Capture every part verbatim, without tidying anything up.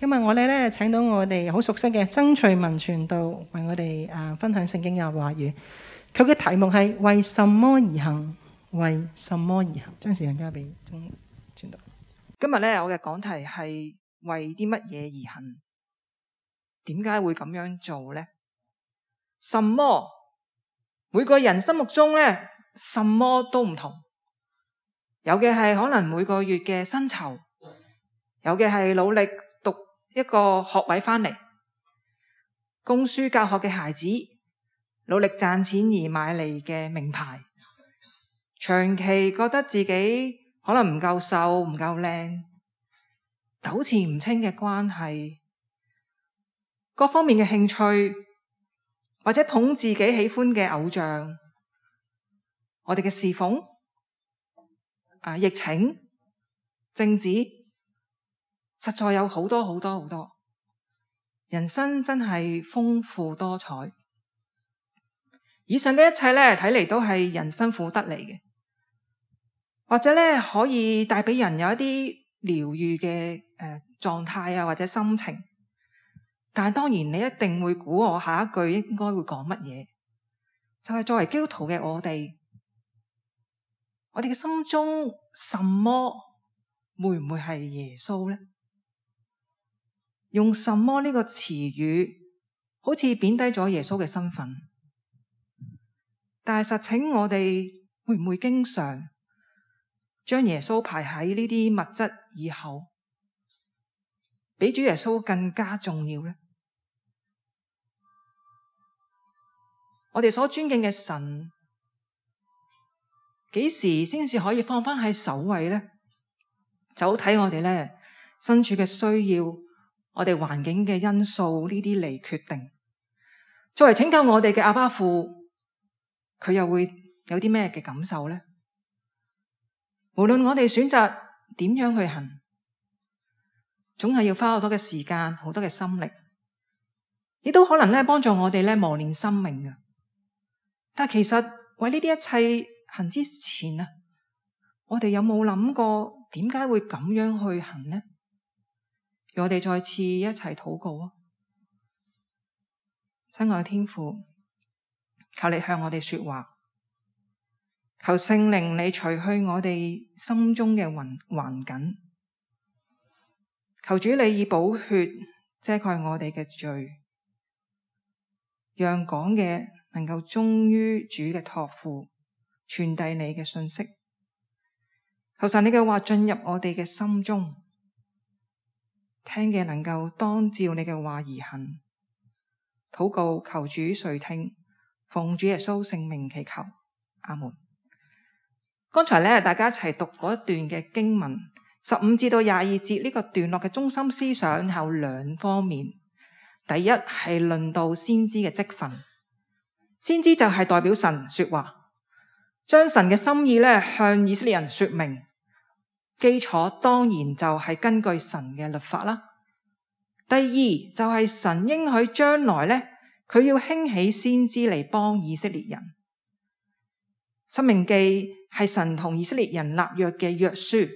今日我哋咧請到我哋好熟悉嘅曾翠文傳道為我哋啊分享聖經嘅話語。佢嘅題目係為什麼而行？為什麼而行？將時間交俾曾傳道。今日咧我嘅講題係為啲乜嘢而行？點解會咁樣做呢？什麼？每個人心目中咧，什麼都唔同。有嘅係可能每個月嘅薪酬，有嘅係努力讀一個學位翻嚟，供書教學嘅孩子，努力賺錢而買嚟嘅名牌，長期覺得自己可能唔夠瘦、唔夠靚，糾纏唔清嘅關係，各方面嘅興趣，或者捧自己喜歡嘅偶像，我哋嘅侍奉、啊疫情、政治，實在有好多好多好多。人生真係豐富多彩。以上嘅一切咧，睇嚟都係人生苦得嚟嘅，或者咧可以帶俾人有一啲療愈嘅誒狀態啊，或者心情。但係當然你一定會估我下一句應該會講乜嘢，就係作為基督徒嘅我哋，我哋嘅心中什麼會唔會係耶穌呢？用什麼呢個詞語好似貶低咗耶穌嘅身份，但係實情我哋會唔會經常將耶穌排喺呢啲物質以後，比主耶穌更加重要呢？我哋所尊敬嘅神，幾時先至可以放返喺首位呢？就好睇我哋咧身處嘅需要，我哋環境嘅因素呢啲嚟決定。作為拯救我哋嘅阿爸父，佢又會有啲咩嘅感受呢？無論我哋選擇點樣去行，總係要花好多嘅時間、好多嘅心力，亦都可能咧幫助我哋咧磨練生命嘅。但其實為呢啲一切行之前啊，我哋有冇諗過點解會咁樣去行呢？讓我哋再次一齊禱告啊！親愛嘅天父，求你向我哋說話，求聖靈你除去我哋心中嘅環環境，求主你以寶血遮蓋我哋嘅罪，讓講嘅能夠忠於主嘅託付，傳遞你嘅信息。求神你嘅話進入我哋嘅心中，聽嘅能夠當照你嘅話而行。禱告求主垂聽，奉主耶穌聖名祈求，阿門。剛才咧大家一齊讀嗰一段嘅經文，十五至到廿二節呢個段落嘅中心思想有兩方面。第一係論到先知嘅職分。先知就係代表神說話，將神嘅心意咧向以色列人說明，基礎當然就係根據神嘅律法啦。第二就係神應許將來咧，佢要興起先知嚟幫以色列人。申命記係神同以色列人立約嘅約書，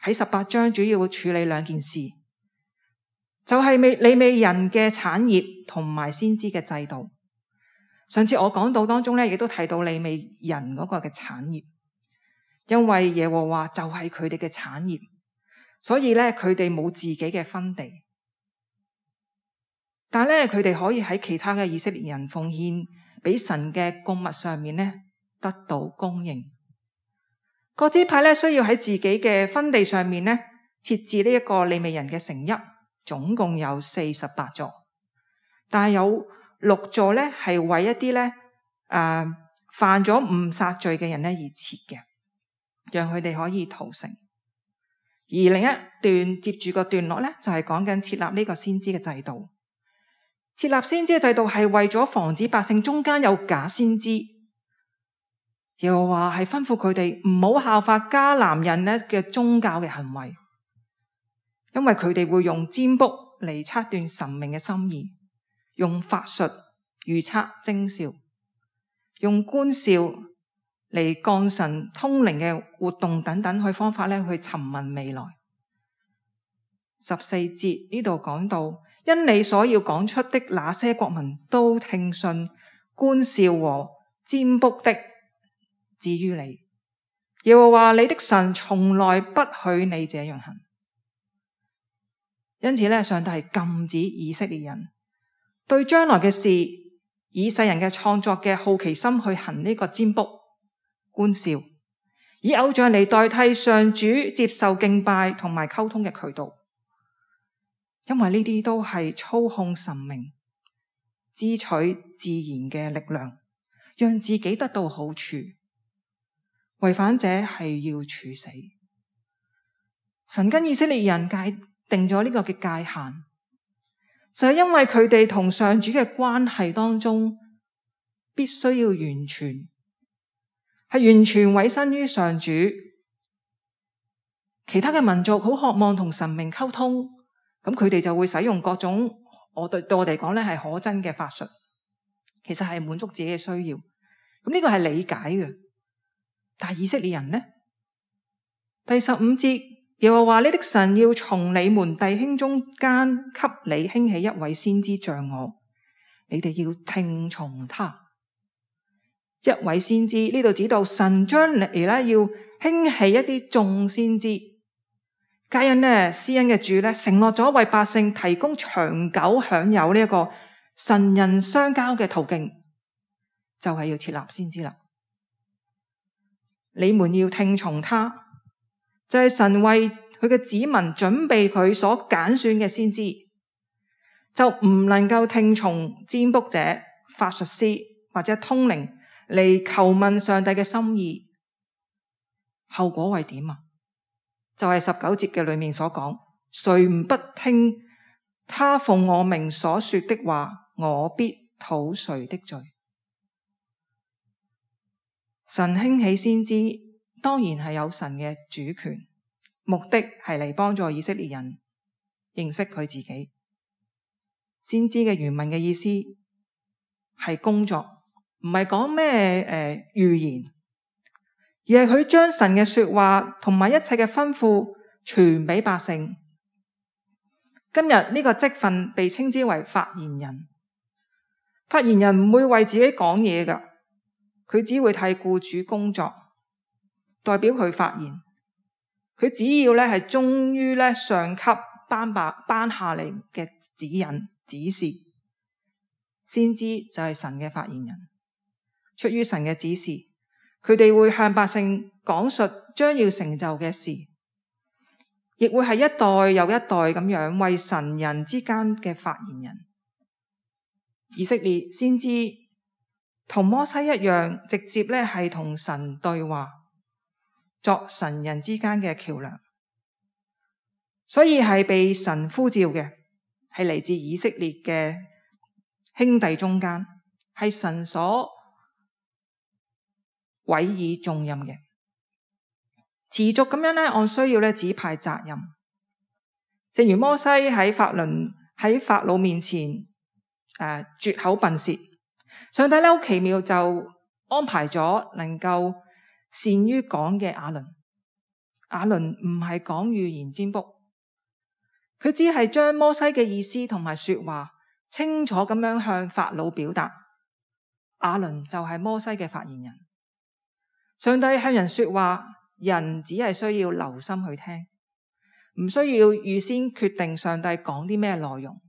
喺十八章主要會處理兩件事，就係利未人嘅產業同埋先知嘅制度。上次我講到當中咧，亦都提到利未人嗰個嘅產業，因為耶和華就係佢哋嘅產業，所以咧佢哋冇自己嘅分地，但係咧佢哋可以喺其他嘅以色列人奉獻俾神嘅供物上面咧得到供應。各支派咧需要喺自己嘅分地上面咧設置呢一個利未人嘅城邑，總共有四十八座，但係有六座咧係為一啲咧誒犯咗誤殺罪嘅人咧而設嘅，讓佢哋可以逃城。而另一段接住個段落咧就係講緊設立呢個先知嘅制度。設立先知嘅制度係為咗防止百姓中間有假先知，又話係吩咐佢哋唔好效法迦南人咧嘅宗教嘅行為，因為佢哋會用占卜嚟測斷神明嘅心意，用法術預測徵兆，用觀兆嚟降神通靈嘅活動等等去方法咧去尋問未來。十四節呢度講到，因你所要講出的那些國民都聽信觀笑和占卜的，至於你，耶和華你的神從來不許你這樣行。因此咧，上帝係禁止以色列人對將來嘅事，以世人嘅創作嘅好奇心去行呢個占卜、觀笑，以偶像嚟代替上主接受敬拜同埋溝通嘅渠道。因為呢啲都係操控神明、支取自然嘅力量，讓自己得到好處。違反者係要處死。神跟以色列人界定咗呢個嘅界限，就係因為佢哋同上主嘅關係當中，必須要完全，係完全委身於上主。其他嘅民族好渴望同神明溝通，咁佢哋就會使用各種我對對我哋講咧係可憎嘅法術，其實係滿足自己嘅需要。咁呢個係理解嘅。但係以色列人呢？第十五節，耶和華你的神要從你們弟兄中間給你興起一位先知像我，你哋要聽從他。一位先知呢度指到神將嚟咧要興起一啲眾先知。皆因呢施恩嘅主咧承諾咗為百姓提供長久享有呢一個神人相交嘅途徑，就係要設立先知啦。你們要聽從他，就係神為佢嘅子民準備佢所揀選嘅先知，就唔能夠聽從占卜者、法術師或者通靈嚟求問上帝嘅心意。後果係點啊？就係十九節嘅裏面所講，誰唔不聽他奉我名所說的話，我必討誰的罪。神興起先知，當然係有神嘅主權，目的係嚟幫助以色列人認識佢自己。先知嘅原文嘅意思係工作，唔係講咩誒預言，而係佢將神嘅說話同埋一切嘅吩咐傳俾百姓。今日呢個職分被稱之為發言人。發言人唔會為自己講嘢㗎。佢只會替僱主工作，代表佢發言。佢只要咧係忠於咧上級頒白頒下嚟嘅指引指示。先知就係神嘅發言人，出於神嘅指示，佢哋會向百姓講述將要成就嘅事，亦會係一代又一代咁樣為神人之間嘅發言人。以色列先知同摩西一樣，直接咧係同神對話，作神人之間嘅橋樑，所以係被神呼召嘅，係嚟自以色列嘅兄弟中間，係神所委以重任嘅，持續咁樣咧按需要咧指派責任。正如摩西喺法倫喺法老面前誒、呃、絕口笨舌。上帝咧好奇妙，就安排咗能夠善於講嘅亞倫。亞倫唔係講預言占卜，佢只係將摩西嘅意思同埋說話清楚咁樣向法老表達。亞倫就係摩西嘅發言人。上帝向人說話，人只係需要留心去聽，唔需要預先決定上帝講啲咩內容。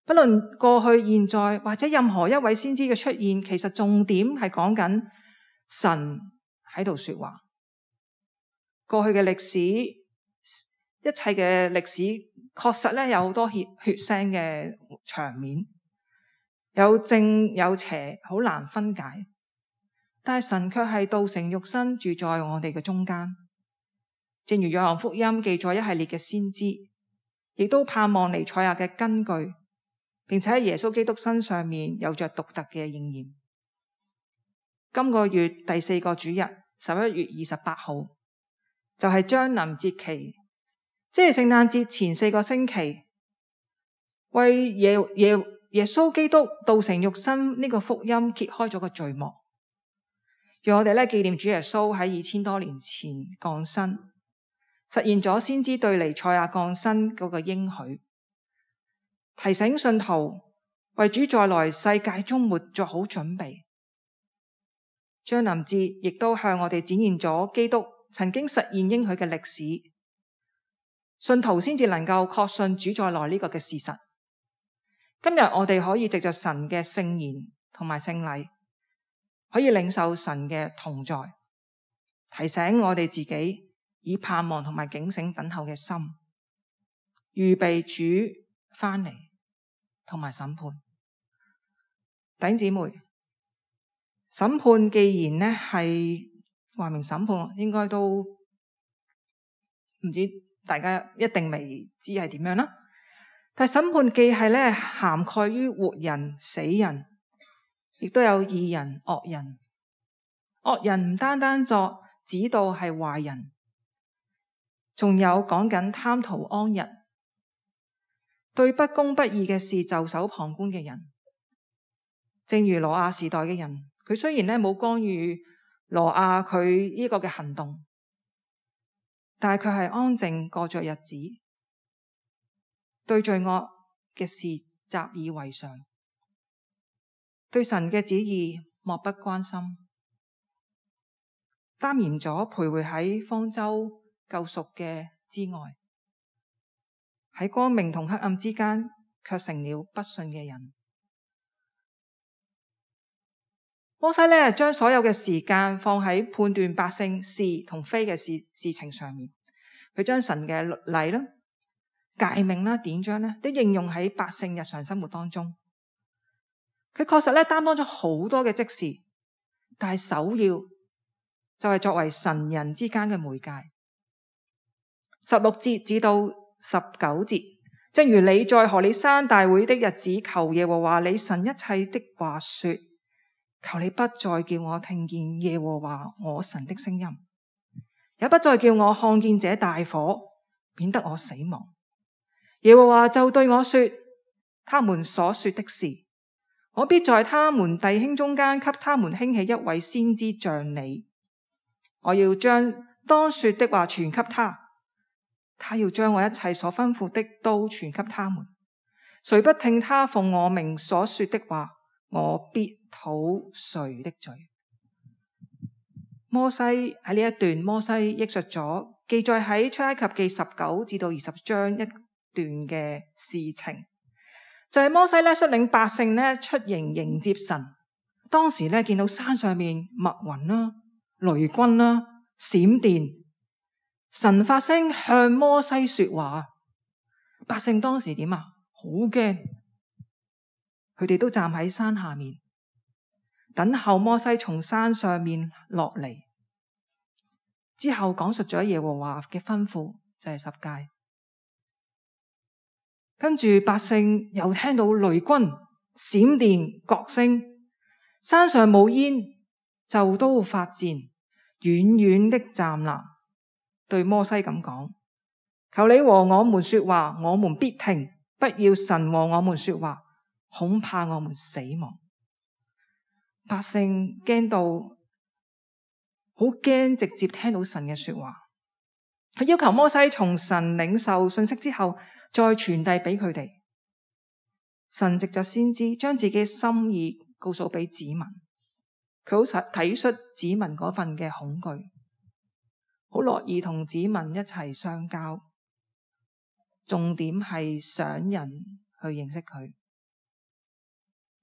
不論過去、現在或者任何一位先知嘅出現，其實重點係講緊神喺度說話。過去嘅歷史，一切嘅歷史確實咧有好多血血腥嘅場面，有正有邪，好難分解。但係神卻係道成肉身，住在我哋嘅中間。正如約翰福音記載一系列嘅先知，亦都盼望彌賽亞嘅根據，並且喺耶穌基督身上面有着獨特嘅應驗。今個月第四個主日，十一月二十八號，就係將臨節期，即係聖誕節前四個星期，為耶耶耶穌基督道成肉身呢個福音揭開咗個序幕，讓我哋咧紀念主耶穌喺二千多年前降生，實現咗先知對彌賽亞降生嗰個應許，提醒信徒為主再來世界終末作好準備。將臨節亦都向我哋展現咗基督曾經實現應許嘅歷史，信徒先至能夠確信主再來呢個嘅事實。今日我哋可以藉着神嘅聖言同埋聖禮，可以領受神嘅同在，提醒我哋自己以盼望同埋警醒等候嘅心，預備主翻嚟同埋審判。弟兄姊妹，審判既然呢係話明審判，應該都唔知大家一定未知係點樣啦。但係審判既係咧涵蓋於活人、死人，亦都有義人、惡人。惡人唔單單作指導係壞人，仲有講緊貪圖安逸，對不公不義嘅事袖手旁觀嘅人。正如挪亞時代嘅人，佢雖然咧冇干預挪亞佢呢個嘅行動，但係佢係安靜過着日子，對罪惡嘅事習以為常，對神嘅旨意漠不關心，擔嚴咗徘徊喺方舟救贖嘅之外，喺光明同黑暗之間，卻成了不信嘅人。摩西咧將所有嘅時間放喺判斷百姓是同非嘅事事情上面，佢將神嘅律例啦、誡命啦、典章咧，都應用喺百姓日常生活當中。佢確實咧擔當咗好多嘅職事，但係首要就係作為神人之間嘅媒介。十六節至到十九節，正如你在何烈山大會的日子求耶和華你神一切的話說，求你不再叫我聽見耶和華我神的聲音，也不再叫我看見這大火，免得我死亡。耶和華就對我說，他們所說的是，我必在他們弟兄中間給他們興起一位先知像你，我要將當說的話傳給他，他要將我一切所吩咐的都傳給他們。誰不聽他奉我名所說的話，我必討誰的罪。摩西喺呢一段，摩西憶述咗記載喺出埃及記十九至到二十章一段嘅事情，就係、是、摩西咧率領百姓咧出營迎接神。當時咧見到山上面密雲啦、雷轟啦、閃電，神發聲向摩西說話。百姓當時點啊？好驚，佢哋都站喺山下面等候摩西從山上面落嚟。之後講述咗耶和華嘅吩咐，就係十誡。跟住百姓又聽到雷轟、閃電、角聲，山上冇煙，就都發顫，遠遠的站立，對摩西咁講：求你和我們說話，我們必聽；不要神和我們說話，恐怕我們死亡。百姓驚到好驚，直接聽到神嘅說話。佢要求摩西從神領受信息之後，再傳遞俾佢哋。神藉着先知將自己嘅心意告訴俾子民，佢好體恤子民嗰份嘅恐懼，好樂意同子民一齊相交。重點係想人去認識佢。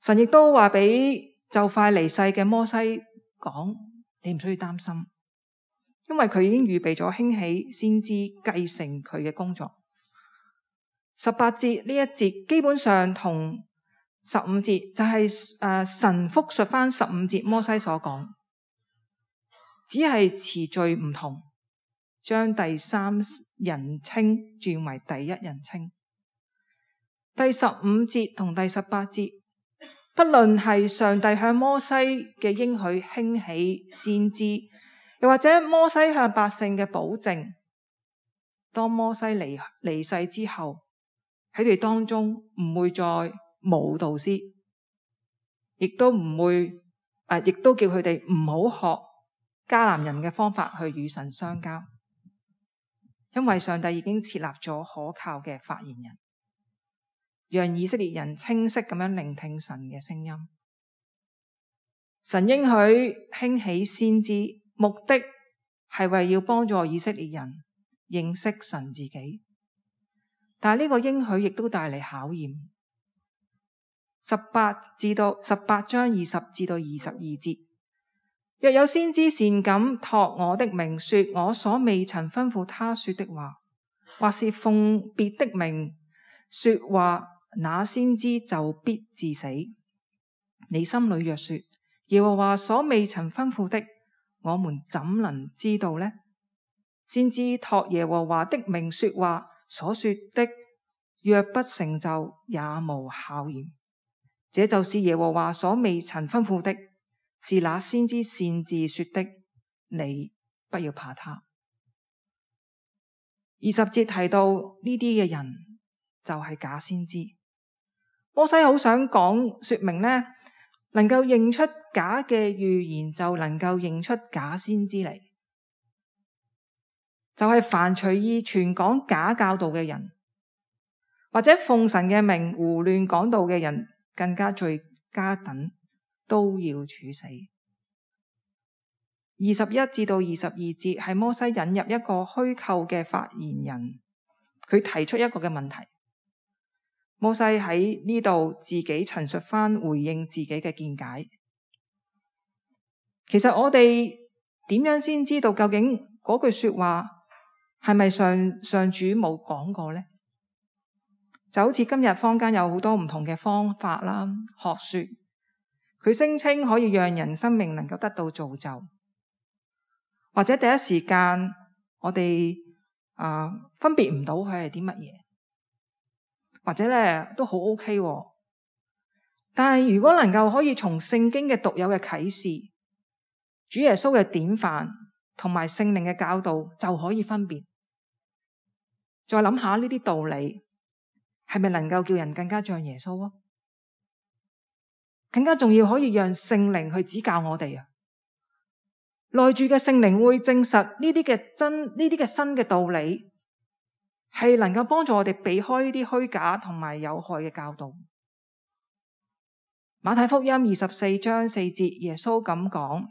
神亦都話俾就快離世嘅摩西講，你唔需要擔心，因為佢已經預備咗興起先知繼承佢嘅工作。十八節呢一節基本上同十五節就係、是、誒、呃、神複述翻十五節摩西所講，只係詞序唔同，將第三人稱轉為第一人稱。第十五節同第十八節，不論係上帝向摩西嘅應許興起先知，又或者摩西向百姓嘅保證，當摩西離離世之後，喺佢哋當中唔會再冇導師，亦都唔會誒、啊，亦都叫佢哋唔好學迦南人嘅方法去與神相交。因為上帝已經設立咗可靠嘅發言人，讓以色列人清晰咁樣聆聽神嘅聲音。神應許興起先知，目的係為要幫助以色列人認識神自己。但係呢個應許亦都帶嚟考驗。十八至到十八章二十至到二十二節，若有先知擅敢託我的名說我所未曾吩咐他說的話，或是奉別的名說話，那先知就必致死。你心裏若說耶和華所未曾吩咐的，我們怎能知道呢？先知託耶和華的名說話，所說的若不成就，也無考驗。這就是耶和華所未曾吩咐的，是那先知擅自說的，你不要怕他。二十節提到呢啲嘅人就係假先知。摩西好想講說明呢，能夠認出假嘅預言，就能夠認出假先知嚟。就係凡隨意傳講假教導嘅人，或者奉神嘅名胡亂講道嘅人，更加罪加等，都要處死。二十一至到二十二節係摩西引入一個虛構嘅發言人，佢提出一個嘅問題。摩西喺呢度自己陳述翻回應自己嘅見解。其實我哋點樣先知道究竟嗰句說話係咪上上主冇講過呢？就好似今日坊間有好多唔同嘅方法啦、學說，佢聲稱可以讓人生命能夠得到造就，或者第一時間我哋啊、呃、分別唔到佢係啲乜嘢，或者咧都好 OK。但係如果能夠可以從聖經嘅獨有嘅啟示、主耶穌嘅典範同埋聖靈嘅教導，就可以分別。再諗下呢啲道理，係咪能夠叫人更加像耶穌啊？更加重要，可以讓聖靈去指教我哋啊！內住嘅聖靈會證實呢啲嘅真，呢啲嘅新嘅道理，係能夠幫助我哋避開呢啲虛假同埋有害嘅教導。馬太福音二十四章四節，耶穌咁講：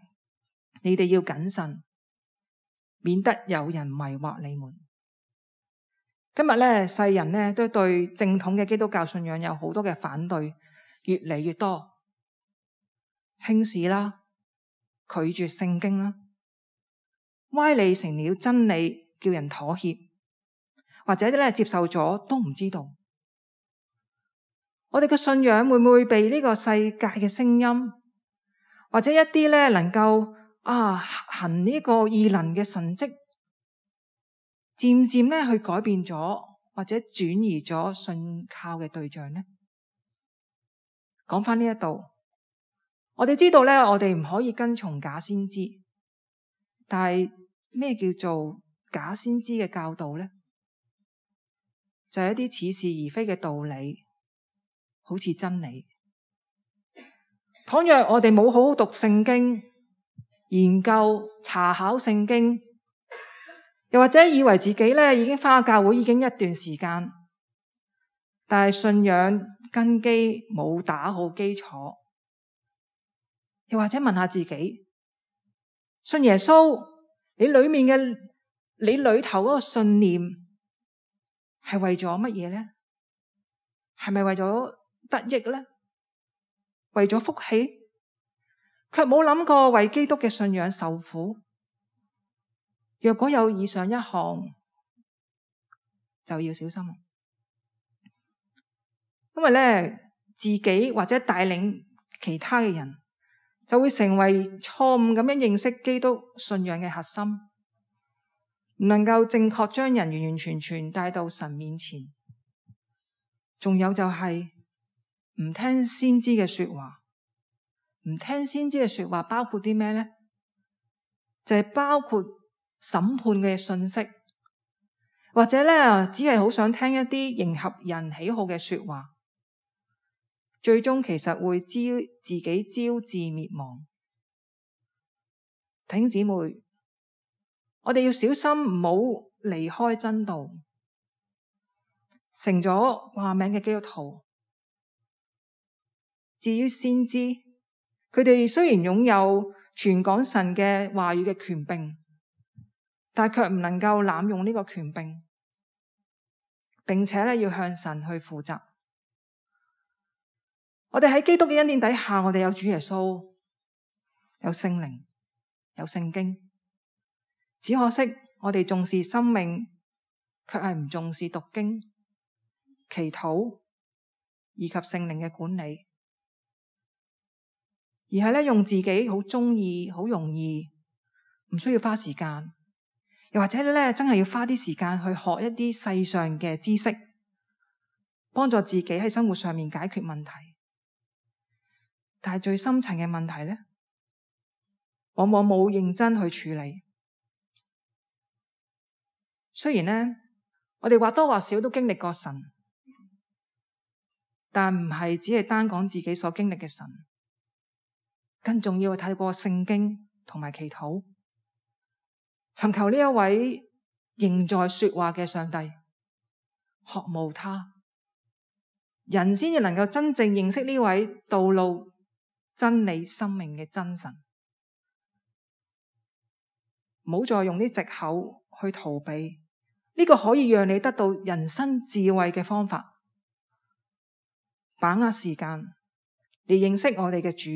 你哋要謹慎，免得有人迷惑你們。今日咧，世人咧都對正統嘅基督教信仰有好多嘅反對，越嚟越多，輕視啦，拒絕聖經啦，歪理成了真理，叫人妥協，或者咧接受咗都唔知道。我哋嘅信仰會唔會被呢個世界嘅聲音，或者一啲咧能夠啊行呢個異能嘅神蹟，漸漸咧去改變咗，或者轉移咗信靠嘅對象呢？講翻呢一度，我哋知道咧，我哋唔可以跟從假先知，但係咩叫做假先知嘅教導呢？就係一啲似是而非嘅道理，好似真理。倘若我哋冇好好讀聖經，研究查考聖經，又或者以為自己咧已經返教會已經一段時間，但係信仰根基冇打好基礎，又或者問下自己，信耶穌，你裏面嘅你裏頭嗰個信念係為咗乜嘢呢？係咪為咗得益呢？為咗福氣？卻冇諗過為基督嘅信仰受苦。若果有以上一項，就要小心，因為咧自己或者帶領其他嘅人，就會成為錯誤咁樣認識基督信仰嘅核心，唔能夠正確將人完完全全帶到神面前。仲有就係唔聽先知嘅說話，唔聽先知嘅說話包括啲咩呢？就係包括審判嘅信息，或者咧只係好想聽一啲迎合人喜好嘅說話，最終其實會招自己招致滅亡。弟兄姊妹，我哋要小心，唔好離開真道，成咗話名嘅基督徒。至於先知，佢哋雖然擁有傳講神嘅話語嘅權柄，但係卻唔能夠濫用呢個權柄，並且咧要向神去負責。我哋喺基督嘅恩典底下，我哋有主耶穌，有聖靈，有聖經。只可惜我哋重視生命，卻係唔重視讀經、祈禱以及聖靈嘅管理，而係咧用自己好中意、好容易，唔需要花時間，又或者咧真係要花啲時間去學一啲世上嘅知識，幫助自己喺生活上面解決問題。但係最深層嘅問題咧，往往冇認真去處理。雖然咧，我哋或多或少都經歷過神，但唔係只係單講自己所經歷嘅神，更重要係睇過聖經同埋祈禱，尋求呢一位仍在說話嘅上帝，渴慕他，人先至能夠真正認識呢位道路、真理、生命嘅真神。唔好再用啲藉口去逃避呢個可以讓你得到人生智慧嘅方法。把握時間嚟認識我哋嘅主，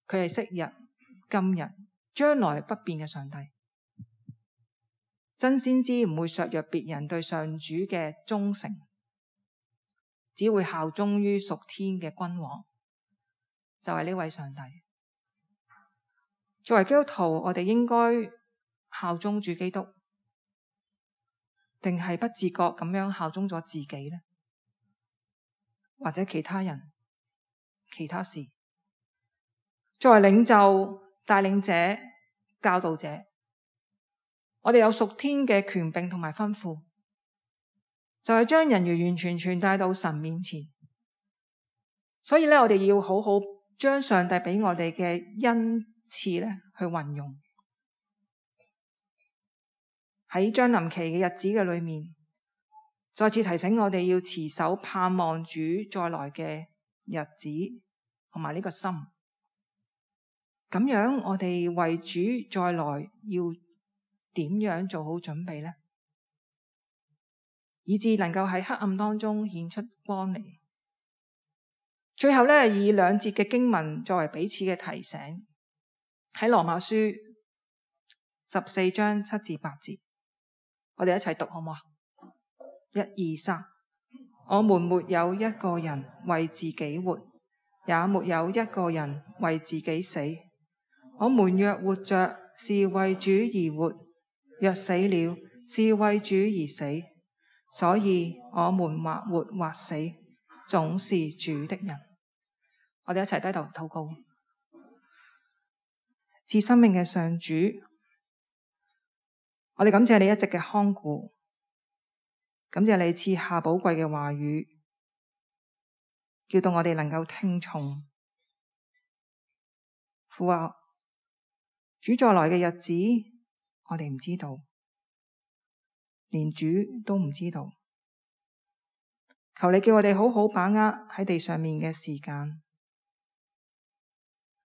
佢係昔日、今日、將來不變嘅上帝。真先知唔會削弱別人對上主嘅忠誠，只會效忠於屬天嘅君王，就係呢位上帝。作為基督徒，我哋應該效忠主基督，定係不自覺咁樣效忠咗自己呢？或者其他人、其他事？作為領袖、帶領者、教導者，我哋有屬天嘅權柄同埋吩咐，就係將人完完全全帶到神面前。所以咧，我哋要好好將上帝俾我哋嘅恩賜咧去運用。喺將臨期嘅日子嘅裏面，再次提醒我哋要持守盼望主再來嘅日子同埋呢個心。咁樣我哋為主再來要點樣做好準備呢？以致能夠喺黑暗當中顯出光嚟。最後咧，以兩節嘅經文作為彼此嘅提醒，喺羅馬書十四章七至八節，我哋一齊讀好唔好啊？一二三，我們沒有一個人為自己活，也沒有一個人為自己死。我們若活着，是為主而活；若死了，是為主而死。所以我們或活或死，總是主的人。我哋一齊低頭禱告。賜生命嘅上主，我哋感謝你一直嘅看顧，感謝你賜下寶貴嘅話語，叫到我哋能夠聽從。父啊，主再來嘅日子，我哋唔知道，連主都唔知道。求你叫我哋好好把握喺地上面嘅時間，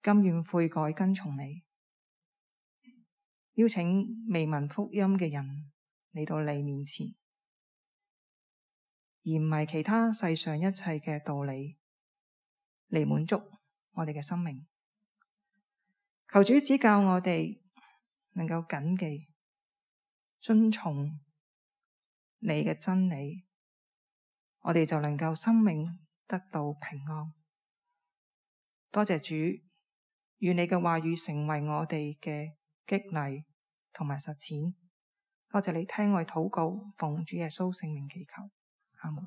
甘願悔改跟從你，邀請未聞福音嘅人嚟到你面前，而唔係其他世上一切嘅道理嚟滿足我哋嘅生命。求主指教我哋能夠謹記遵從你嘅真理，我哋就能夠生命得到平安。多謝主，願你嘅話語成為我哋嘅激勵同埋實踐。多謝你聽我禱告，奉主耶穌聖名祈求，阿門。